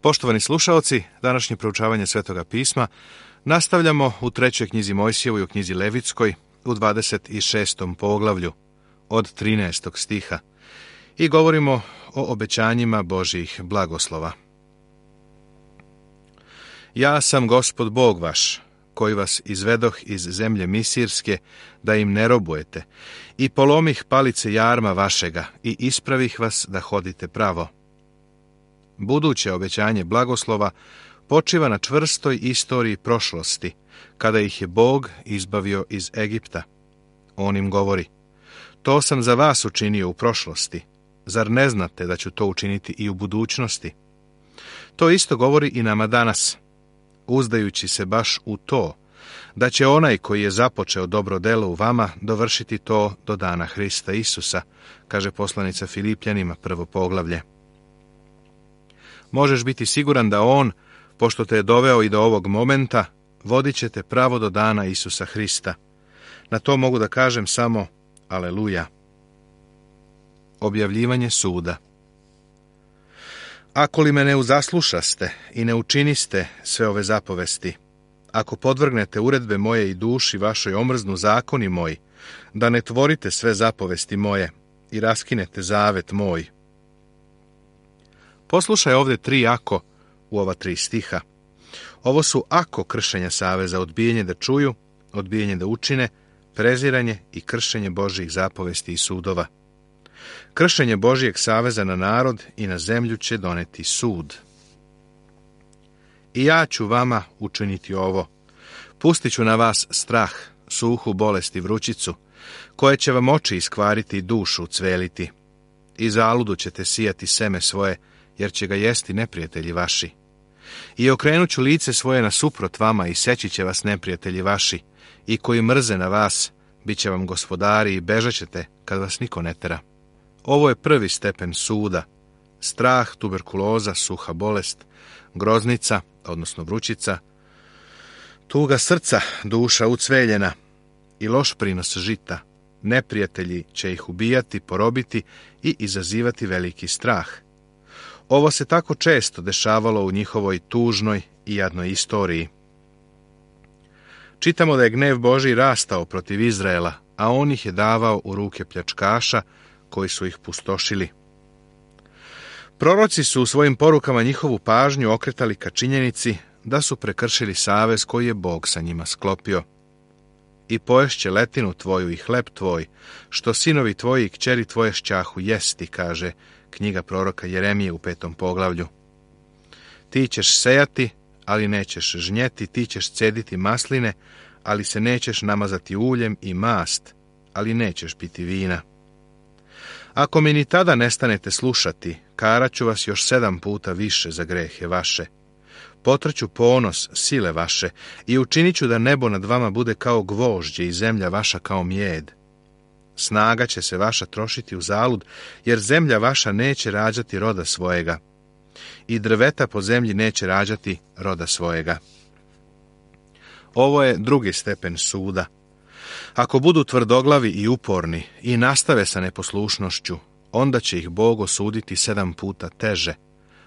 Poštovani slušaoci, današnje proučavanje Svetoga pisma nastavljamo u 3. knjizi Mojsijevoj, u knjizi Levitskoj, u 26. poglavlju, od 13. stiha, i govorimo o obećanjima Božjih blagoslova. Ja sam Gospod Bog vaš, koji vas izvedoh iz zemlje Misirske, da im ne robujete, i polomih palice jarma vašega, i ispravih vas da hodite pravo. Buduće obećanje blagoslova počiva na čvrstoj istoriji prošlosti, kada ih je Bog izbavio iz Egipta. On im govori: to sam za vas učinio u prošlosti, zar ne znate da ću to učiniti i u budućnosti? To isto govori i nama danas, uzdajući se baš u to, da će onaj koji je započeo dobro delo u vama dovršiti to do dana Hrista Isusa, kaže poslanica Filipljanima, 1. poglavlje. Možeš biti siguran da on, pošto te je doveo i do ovog momenta, vodit će te pravo do dana Isusa Hrista. Na to mogu da kažem samo aleluja. Objavljivanje suda. Ako li me ne uzaslušaste i ne učiniste sve ove zapovesti, ako podvrgnete uredbe moje i duši vašoj omrznu zakoni moji, da ne tvorite sve zapovesti moje i raskinete zavet moj. Poslušaj ovdje 3 ako u ova 3 stiha. Ovo su ako kršenja saveza: odbijanje da čuju, odbijanje da učine, preziranje i kršenje Božjih zapovesti i sudova. Kršenje Božjeg saveza na narod i na zemlju će doneti sud. I ja ću vama učiniti ovo. Pustit ću na vas strah, suhu bolest i vrućicu, koje će vam oči iskvariti i dušu ucveliti. I zaludu ćete sijati seme svoje, jer će ga jesti neprijatelji vaši. I okrenut ću lice svoje nasuprot vama i seći će vas neprijatelji vaši, i koji mrze na vas, bit će vam gospodari i bežat ćete kad vas niko ne tera. Ovo je prvi stepen suda: strah, tuberkuloza, suha bolest, groznica, odnosno vrućica, tuga srca, duša ucveljena i loš prinos žita. Neprijatelji će ih ubijati, porobiti i izazivati veliki strah. Ovo se tako često dešavalo u njihovoj tužnoj i jadnoj istoriji. Čitamo da je gnev Božji rastao protiv Izraela, a on ih je davao u ruke pljačkaša koji su ih pustošili. Proroci su u svojim porukama njihovu pažnju okretali ka činjenici da su prekršili savez koji je Bog sa njima sklopio. I poješće letinu tvoju i hleb tvoj, što sinovi tvoji i kćeri tvoje šćahu jesti, kaže knjiga proroka Jeremije u 5. poglavlju. Ti ćeš sejati, ali nećeš žnjeti, ti ćeš cediti masline, ali se nećeš namazati uljem, i mast, ali nećeš piti vina. Ako mi ni tada nestanete slušati, karaću vas još 7 puta više za grehe vaše. Potrću ponos sile vaše i učinit ću da nebo nad vama bude kao gvožđe i zemlja vaša kao mjed. Snaga će se vaša trošiti u zalud, jer zemlja vaša neće rađati roda svojega, i drveta po zemlji neće rađati roda svojega. Ovo je drugi stepen suda. Ako budu tvrdoglavi i uporni i nastave sa neposlušnošću, onda će ih Bog osuditi 7 puta teže,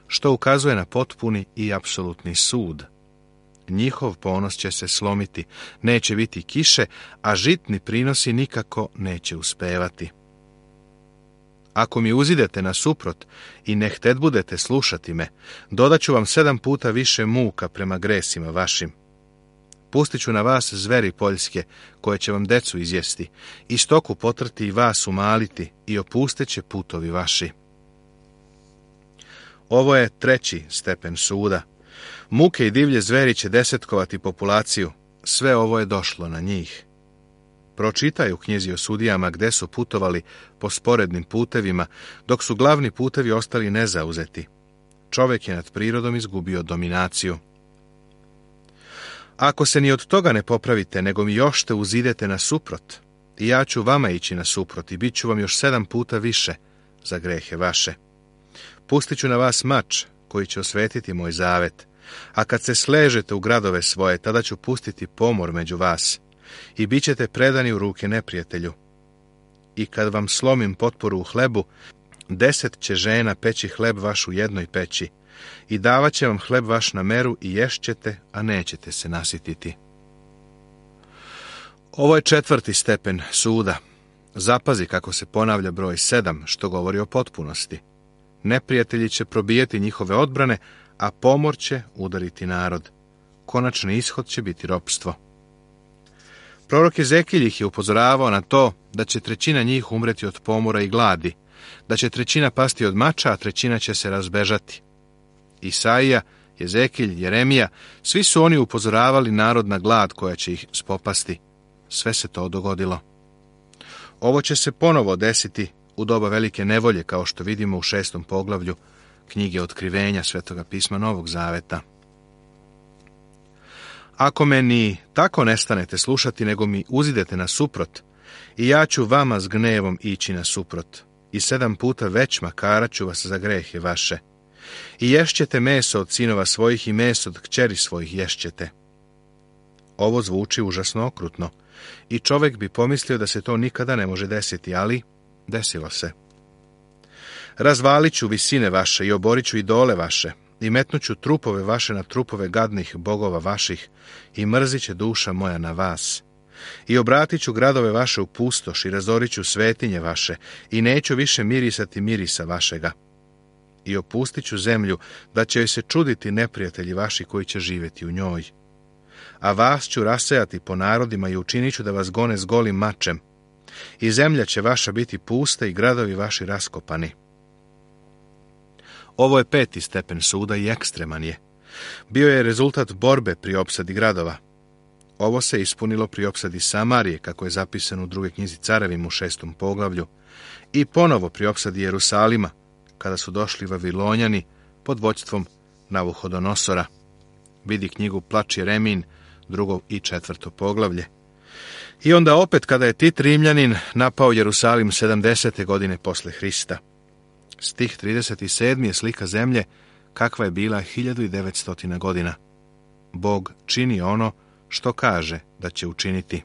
što ukazuje na potpuni i apsolutni sud. Njihov ponos će se slomiti, neće biti kiše, a žitni prinosi nikako neće uspevati. Ako mi uzidete nasuprot i ne hted budete slušati me, dodaću vam 7 puta više muka prema gresima vašim. Pustit ću na vas zveri poljske, koje će vam decu izjesti, i stoku potrti i vas umaliti, i opusteće putovi vaši. Ovo je 3. stepen suda. Muke i divlje zveri će desetkovati populaciju. Sve ovo je došlo na njih. Pročitaj u knjizi o sudijama gde su putovali po sporednim putevima, dok su glavni putevi ostali nezauzeti. Čovjek je nad prirodom izgubio dominaciju. Ako se ni od toga ne popravite, nego mi još te uzidete nasuprot, i ja ću vama ići nasuprot i bit ću vam još 7 puta više za grehe vaše. Pustit ću na vas mač koji će osvetiti moj zavet, a kad se sležete u gradove svoje, tada ću pustiti pomor među vas i bit ćete predani u ruke neprijatelju. I kad vam slomim potporu u hlebu, 10 će žena peći hleb vaš u jednoj peći, i davat će vam hleb vaš na meru i ješćete, a nećete se nasititi. Ovo je 4. stepen suda. Zapazi kako se ponavlja broj 7, što govori o potpunosti. Neprijatelji će probijeti njihove odbrane, a pomor će udariti narod. Konačni ishod će biti ropstvo. Prorok Ezekilj ih je upozoravao na to da će 1/3 njih umreti od pomora i gladi, da će 1/3 pasti od mača, a 1/3 će se razbežati. Isaija, Ezekilj, Jeremija, svi su oni upozoravali narod na glad koja će ih spopasti. Sve se to dogodilo. Ovo će se ponovo desiti u doba velike nevolje, kao što vidimo u 6. poglavlju knjige Otkrivenja Svetoga pisma Novog Zaveta. Ako me ni tako ne stanete slušati, nego mi uzidete nasuprot, i ja ću vama s gnevom ići nasuprot, i 7 puta već makarat ću vas za grehe vaše. I ješćete meso od sinova svojih i meso od kćeri svojih ješćete. Ovo zvuči užasno okrutno, i čovjek bi pomislio da se to nikada ne može desiti, ali desilo se. Razvalit ću visine vaše i oborit ću idole vaše, i metnut ću trupove vaše na trupove gadnih bogova vaših, i mrzit će duša moja na vas. I obratit ću gradove vaše u pustoš, i razorit ću svetinje vaše, i neću više mirisati mirisa vašega. I opustit ću zemlju, da će joj se čuditi neprijatelji vaši koji će živjeti u njoj. A vas ću rasejati po narodima i učinit ću da vas gone s golim mačem. I zemlja će vaša biti pusta i gradovi vaši raskopani. Ovo je 5. stepen suda i ekstreman je. Bio je rezultat borbe pri opsadi gradova. Ovo se ispunilo pri opsadi Samarije, kako je zapisano u 2. knjizi Carevima u 6. poglavlju, i ponovo pri opsadi Jerusalima, kada su došli Vavilonjani pod vođstvom Navuhodonosora. Vidi knjigu Plač Jeremin, 2. i 4. poglavlje. I onda opet kada je Tit Rimljanin napao Jerusalim 70. godine posle Hrista. Stih 37. je slika zemlje kakva je bila 1900 godina. Bog čini ono što kaže da će učiniti.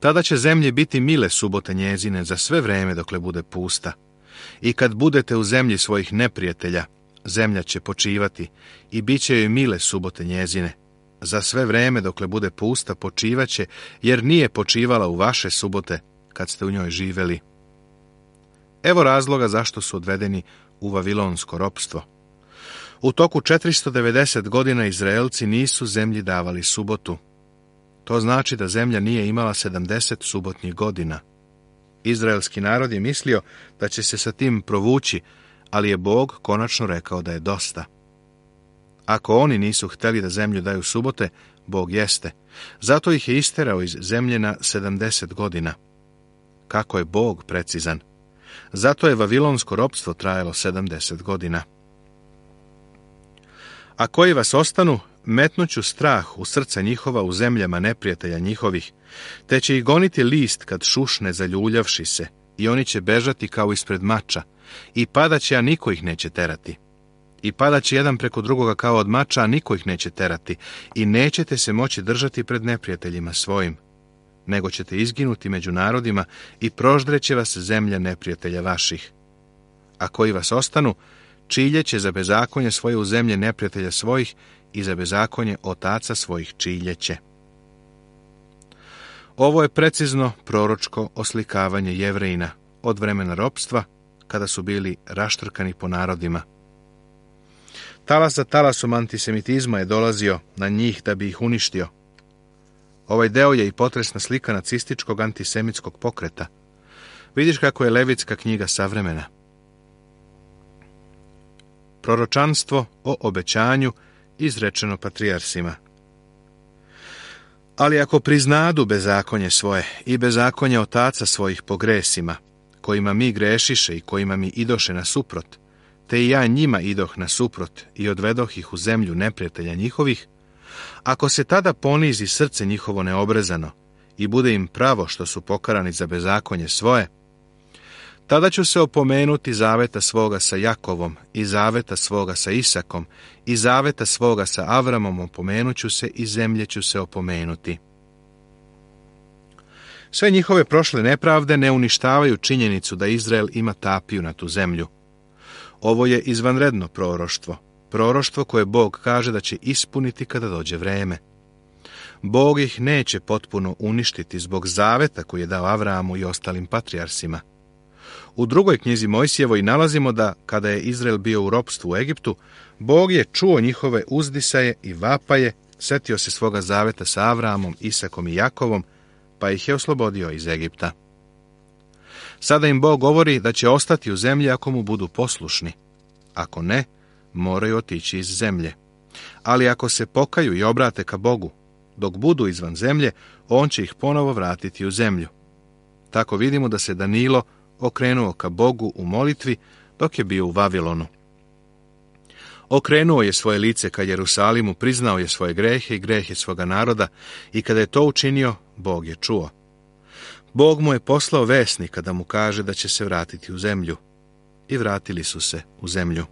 Tada će zemlji biti mile subote njezine za sve vreme dokle bude pusta. I kad budete u zemlji svojih neprijatelja, zemlja će počivati i bit će joj mile subote njezine. Za sve vreme dokle bude pusta počivaće, jer nije počivala u vaše subote kad ste u njoj živeli. Evo razloga zašto su odvedeni u vavilonsko ropstvo. U toku 490 godina Izraelci nisu zemlji davali subotu. To znači da zemlja nije imala 70 subotnjih godina. Izraelski narod je mislio da će se sa tim provući, ali je Bog konačno rekao da je dosta. Ako oni nisu htjeli da zemlju daju subote, Bog jeste. Zato ih je isterao iz zemlje na 70 godina. Kako je Bog precizan. Zato je vavilonsko ropstvo trajalo 70 godina. A koji vas ostanu, metnuću strah u srca njihova u zemljama neprijatelja njihovih, te će ih goniti list kad šušne zaljuljavši se, i oni će bežati kao ispred mača, i padaće, a niko ih neće terati. I padaće jedan preko drugoga kao od mača, a niko ih neće terati, i nećete se moći držati pred neprijateljima svojim, nego ćete izginuti među narodima i proždreće vas zemlja neprijatelja vaših. A koji vas ostanu, čiljeće za bezakonje svoje u zemlje neprijatelja svojih i za bezakonje otaca svojih čiljeće. Ovo je precizno proročko oslikavanje Jevrejina od vremena ropstva, kada su bili raštrkani po narodima. Talas za talasom antisemitizma je dolazio na njih da bi ih uništio. Ovaj deo je i potresna slika nacističkog antisemitskog pokreta. Vidiš kako je Levitska knjiga savremena. Proročanstvo o obećanju izrečeno patrijarsima. Ali ako priznadu bezakonje svoje i bezakonje otaca svojih po gresima, kojima mi grešiše i kojima mi idoše nasuprot, te i ja njima idoh nasuprot i odvedoh ih u zemlju neprijatelja njihovih, ako se tada ponizi srce njihovo neobrezano i bude im pravo što su pokarani za bezakonje svoje, tada ću se opomenuti zaveta svoga sa Jakovom i zaveta svoga sa Isakom i zaveta svoga sa Avramom opomenuću se i zemlje ću se opomenuti. Sve njihove prošle nepravde ne uništavaju činjenicu da Izrael ima tapiju na tu zemlju. Ovo je izvanredno proroštvo. Proroštvo koje Bog kaže da će ispuniti kada dođe vreme. Bog ih neće potpuno uništiti zbog zaveta koji je dao Avramu i ostalim patrijarsima. U drugoj knjizi Mojsijevoj nalazimo da, kada je Izrael bio u ropstvu u Egiptu, Bog je čuo njihove uzdisaje i vapaje, setio se svoga zaveta sa Avramom, Isakom i Jakovom, pa ih je oslobodio iz Egipta. Sada im Bog govori da će ostati u zemlji ako mu budu poslušni. Ako ne, moraju otići iz zemlje. Ali ako se pokaju i obrate ka Bogu, dok budu izvan zemlje, on će ih ponovo vratiti u zemlju. Tako vidimo da se Danilo okrenuo ka Bogu u molitvi dok je bio u Vavilonu. Okrenuo je svoje lice ka Jerusalimu, priznao je svoje grehe i grehe svoga naroda i kada je to učinio, Bog je čuo. Bog mu je poslao vesnika da mu kaže da će se vratiti u zemlju. I vratili su se u zemlju.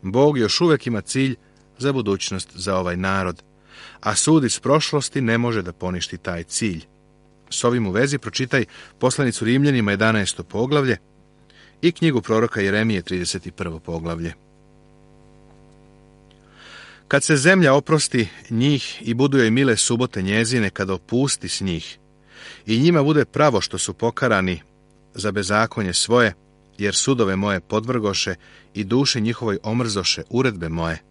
Bog još uvijek ima cilj za budućnost za ovaj narod, a sud iz prošlosti ne može da poništi taj cilj. S ovim u vezi pročitaj poslanicu Rimljanima 11. poglavlje i knjigu proroka Jeremije 31. poglavlje. Kad se zemlja oprosti njih i budu joj mile subote njezine, kada opusti s njih, i njima bude pravo što su pokarani za bezakonje svoje, jer sudove moje podvrgoše i duše njihovoj omrzoše uredbe moje.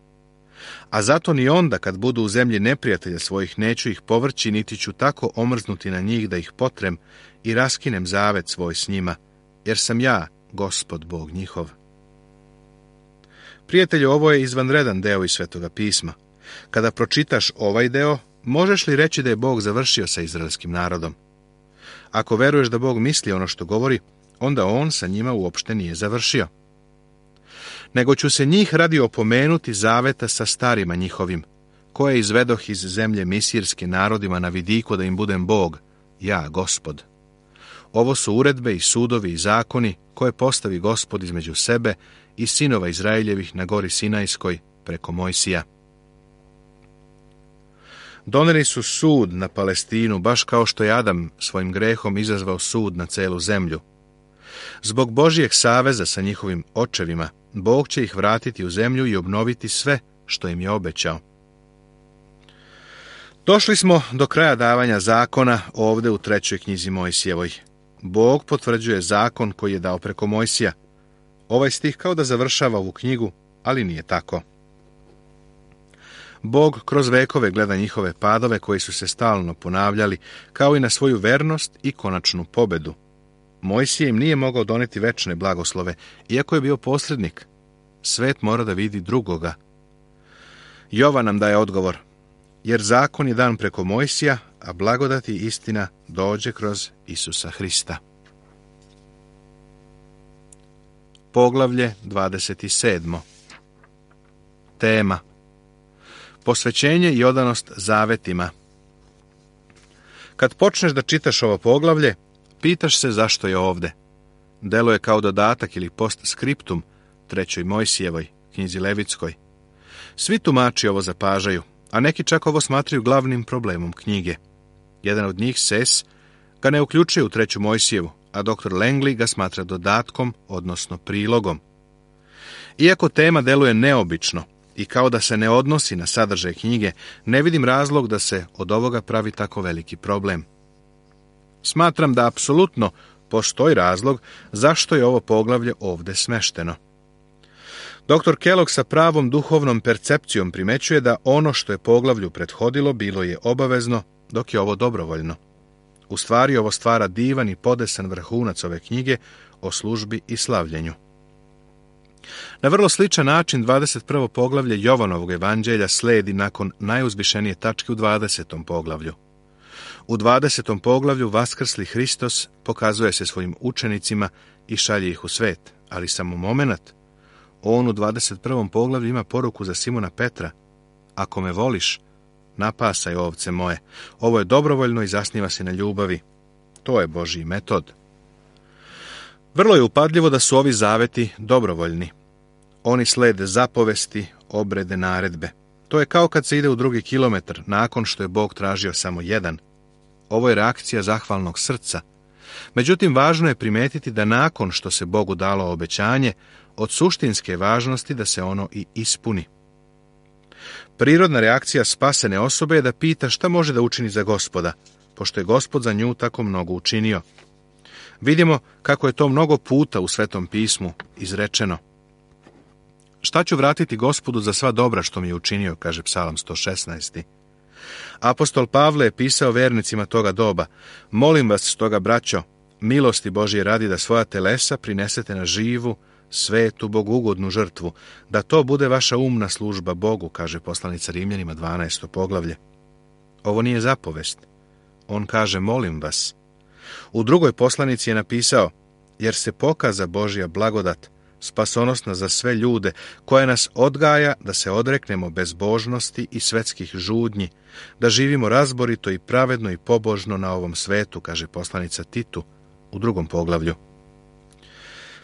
A zato ni onda, kad budu u zemlji neprijatelja svojih, neću ih povrći, niti ću tako omrznuti na njih da ih potrem i raskinem zavet svoj s njima, jer sam ja, Gospod Bog njihov. Prijatelju, ovo je izvanredan deo iz Svetoga pisma. Kada pročitaš ovaj deo, možeš li reći da je Bog završio sa izraelskim narodom? Ako veruješ da Bog misli ono što govori, onda on sa njima uopšte nije završio. Nego ću se njih radi opomenuti zaveta sa starima njihovim, koje izvedoh iz zemlje misirske narodima na vidiku da im budem Bog, ja, Gospod. Ovo su uredbe i sudovi i zakoni koje postavi Gospod između sebe i sinova Izraeljevih na gori Sinajskoj preko Mojsija. Doneli su sud na Palestinu, baš kao što je Adam svojim grehom izazvao sud na celu zemlju. Zbog Božijeg saveza sa njihovim očevima, Bog će ih vratiti u zemlju i obnoviti sve što im je obećao. Došli smo do kraja davanja zakona ovde u 3. knjizi Mojsijevoj. Bog potvrđuje zakon koji je dao preko Mojsija. Ovaj stih kao da završava ovu knjigu, ali nije tako. Bog kroz vekove gleda njihove padove koji su se stalno ponavljali, kao i na svoju vernost i konačnu pobedu. Mojsije im nije mogao doneti večne blagoslove, iako je bio posrednik. Svet mora da vidi drugoga. Jovan nam daje odgovor, jer zakon je dan preko Mojsija, a blagodat i istina dođe kroz Isusa Hrista. Poglavlje 27. Tema: posvećenje i odanost zavetima. Kad počneš da čitaš ovo poglavlje, pitaš se zašto je ovde. Deluje kao dodatak ili postskriptum 3. Mojsijevoj, knjizi Levitskoj. Svi tumači ovo zapažaju, a neki čak ovo smatraju glavnim problemom knjige. Jedan od njih, Ses, ga ne uključuje u 3. Mojsijevu, a dr. Langley ga smatra dodatkom, odnosno prilogom. Iako tema deluje neobično i kao da se ne odnosi na sadržaj knjige, ne vidim razlog da se od ovoga pravi tako veliki problem. Smatram da apsolutno postoji razlog zašto je ovo poglavlje ovde smešteno. Dr. Kellogg sa pravom duhovnom percepcijom primećuje da ono što je poglavlju prethodilo bilo je obavezno, dok je ovo dobrovoljno. U stvari ovo stvara divan i podesan vrhunac ove knjige o službi i slavljenju. Na vrlo sličan način 21. poglavlje Jovanovog evanđelja sledi nakon najuzvišenije tačke u 20. poglavlju. U 20. poglavlju vaskrsli Hristos pokazuje se svojim učenicima i šalje ih u svet, ali samo momenat. On u 21. poglavlju ima poruku za Simona Petra: ako me voliš, napasaj ovce moje. Ovo je dobrovoljno i zasniva se na ljubavi. To je Božji metod. Vrlo je upadljivo da su ovi zaveti dobrovoljni. Oni slede zapovesti, obrede, naredbe. To je kao kad se ide u 2. kilometar, nakon što je Bog tražio samo jedan. Ovo je reakcija zahvalnog srca. Međutim, važno je primetiti da nakon što se Bogu dalo obećanje, od suštinske važnosti da se ono i ispuni. Prirodna reakcija spasene osobe je da pita šta može da učini za Gospoda, pošto je Gospod za nju tako mnogo učinio. Vidimo kako je to mnogo puta u Svetom pismu izrečeno. Šta ću vratiti Gospodu za sva dobra što mi je učinio, kaže Psalam 116. Apostol Pavle je pisao vernicima toga doba: molim vas stoga, braćo, milosti Božje radi, da svoja telesa prinesete na živu, svetu, bogugodnu žrtvu, da to bude vaša umna služba Bogu, kaže poslanica Rimljanima 12. poglavlje. Ovo nije zapovest. On kaže molim vas. U drugoj poslanici je napisao: jer se pokaza Božja blagodat, spasonosna za sve ljude, koja nas odgaja da se odreknemo bezbožnosti i svetskih žudnji, da živimo razborito i pravedno i pobožno na ovom svetu, kaže poslanica Titu u 2. poglavlju.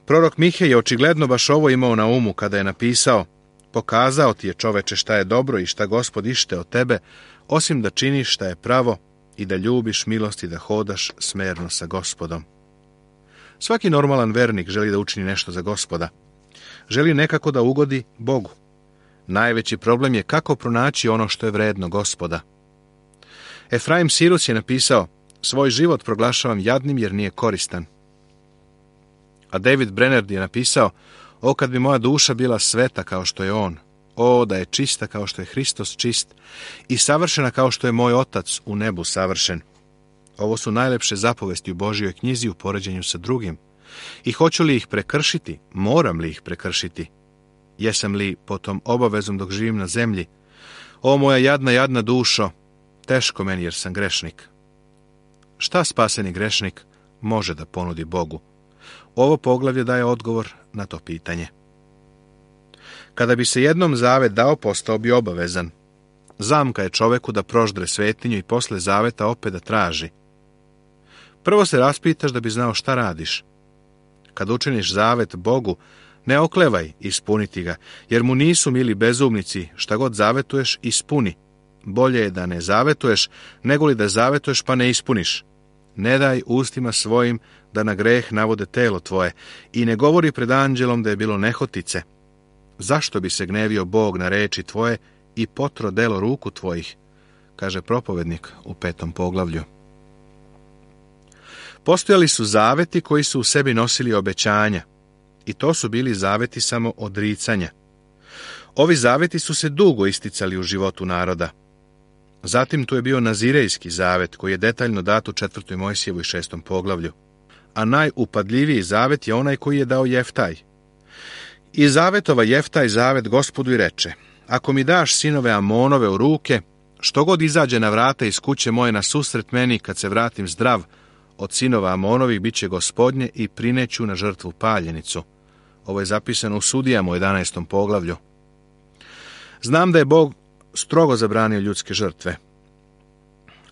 Prorok Mihej je očigledno baš ovo imao na umu kada je napisao: pokazao ti je, čoveče, šta je dobro i šta Gospod ište od tebe, osim da činiš šta je pravo i da ljubiš milost i da hodaš smerno sa Gospodom. Svaki normalan vernik želi da učini nešto za Gospoda. Želi nekako da ugodi Bogu. Najveći problem je kako pronaći ono što je vredno Gospoda. Efraim Sirus je napisao: svoj život proglašavam jadnim jer nije koristan. A David Brainerd je napisao: o, kad bi moja duša bila sveta kao što je on, o, da je čista kao što je Hristos čist i savršena kao što je moj Otac u nebu savršen. Ovo su najlepše zapovesti u Božjoj knjizi u poređenju sa drugim. I hoću li ih prekršiti? Moram li ih prekršiti? Jesam li potom obavezom dok živim na zemlji? O, moja jadna dušo, teško meni jer sam grešnik. Šta spaseni grešnik može da ponudi Bogu? Ovo poglavlje daje odgovor na to pitanje. Kada bi se jednom zavet dao, postao bi obavezan. Zamka je čoveku da proždre svetinju i posle zaveta opet da traži. Prvo se raspitaš da bi znao šta radiš. Kad učiniš zavet Bogu, ne oklevaj ispuniti ga, jer mu nisu mili bezumnici, šta god zavetuješ, ispuni. Bolje je da ne zavetuješ, nego li da zavetuješ pa ne ispuniš. Ne daj ustima svojim da na greh navode telo tvoje i ne govori pred anđelom da je bilo nehotice. Zašto bi se gnevio Bog na reči tvoje i potro delo ruku tvojih, kaže propovednik u 5. poglavlju. Postojali su zaveti koji su u sebi nosili obećanja, i to su bili zaveti samo odricanja. Ovi zaveti su se dugo isticali u životu naroda. Zatim tu je bio Nazirejski zavet, koji je detaljno dat u 4. Mojsijevu i 6. poglavlju. A najupadljiviji zavet je onaj koji je dao Jeftaj. I zavetova Jeftaj zavet Gospodu i reče: ako mi daš sinove Amonove u ruke, što god izađe na vrata iz kuće moje na susret meni, kad se vratim zdrav, od sinova Amonovih bit će Gospodnje i prineću na žrtvu paljenicu. Ovo je zapisano u Sudijama u 11. poglavlju. Znam da je Bog strogo zabranio ljudske žrtve.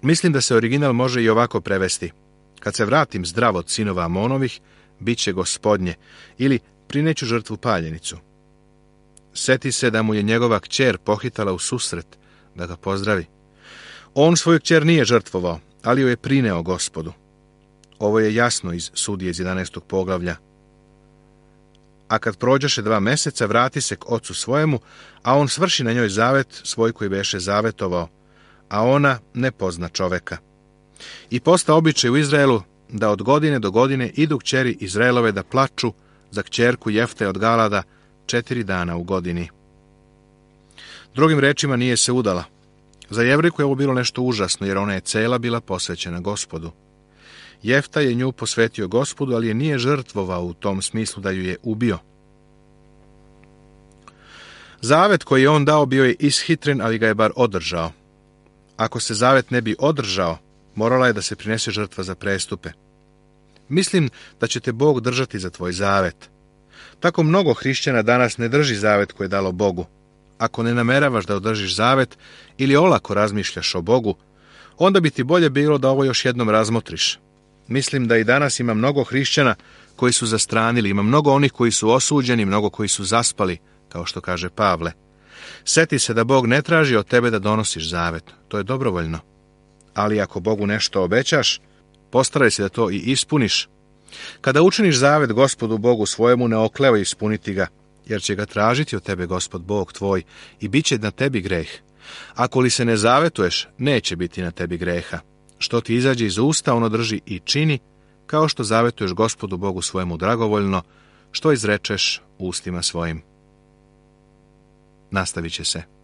Mislim da se original može i ovako prevesti: kad se vratim zdrav od sinova Amonovih, bit će Gospodnje, ili prineću žrtvu paljenicu. Seti se da mu je njegova kćer pohitala u susret da ga pozdravi. On svoju kćer nije žrtvovao, ali joj je prineo Gospodu. Ovo je jasno iz Sudije iz 11. poglavlja. A kad prođeše 2 meseca, vrati se k ocu svojemu, a on svrši na njoj zavet svoj koji beše zavetovao, a ona ne pozna čoveka. I posta običaj u Izraelu da od godine do godine idu kćeri Izraelove da plaču za kćerku Jefte od Galada 4 dana u godini. Drugim rečima, nije se udala. Za Jevrejku je ovo bilo nešto užasno, jer ona je cela bila posvećena Gospodu. Jefta je nju posvetio Gospodu, ali je nije žrtvovao u tom smislu da ju je ubio. Zavet koji je on dao bio je ishitren, ali ga je bar održao. Ako se zavet ne bi održao, morala je da se prinese žrtva za prestupe. Mislim da će te Bog držati za tvoj zavet. Tako mnogo hrišćana danas ne drži zavet koji je dalo Bogu. Ako ne nameravaš da održiš zavet ili olako razmišljaš o Bogu, onda bi ti bolje bilo da ovo još jednom razmotriš. Mislim da i danas ima mnogo hrišćana koji su zastranili, ima mnogo onih koji su osuđeni, mnogo koji su zaspali, kao što kaže Pavle. Seti se da Bog ne traži od tebe da donosiš zavet, to je dobrovoljno. Ali ako Bogu nešto obećaš, Postaraj se da to i ispuniš. Kada učiniš zavet Gospodu Bogu svojemu, ne oklevaj ispuniti ga, jer će ga tražiti od tebe Gospod Bog tvoj i bit će na tebi greh. Ako li se ne zavetuješ, neće biti na tebi greha. Što ti izađe iz usta, ono drži i čini, kao što zavetuješ Gospodu Bogu svojemu dragovoljno, što izrečeš ustima svojim. Nastavit će se.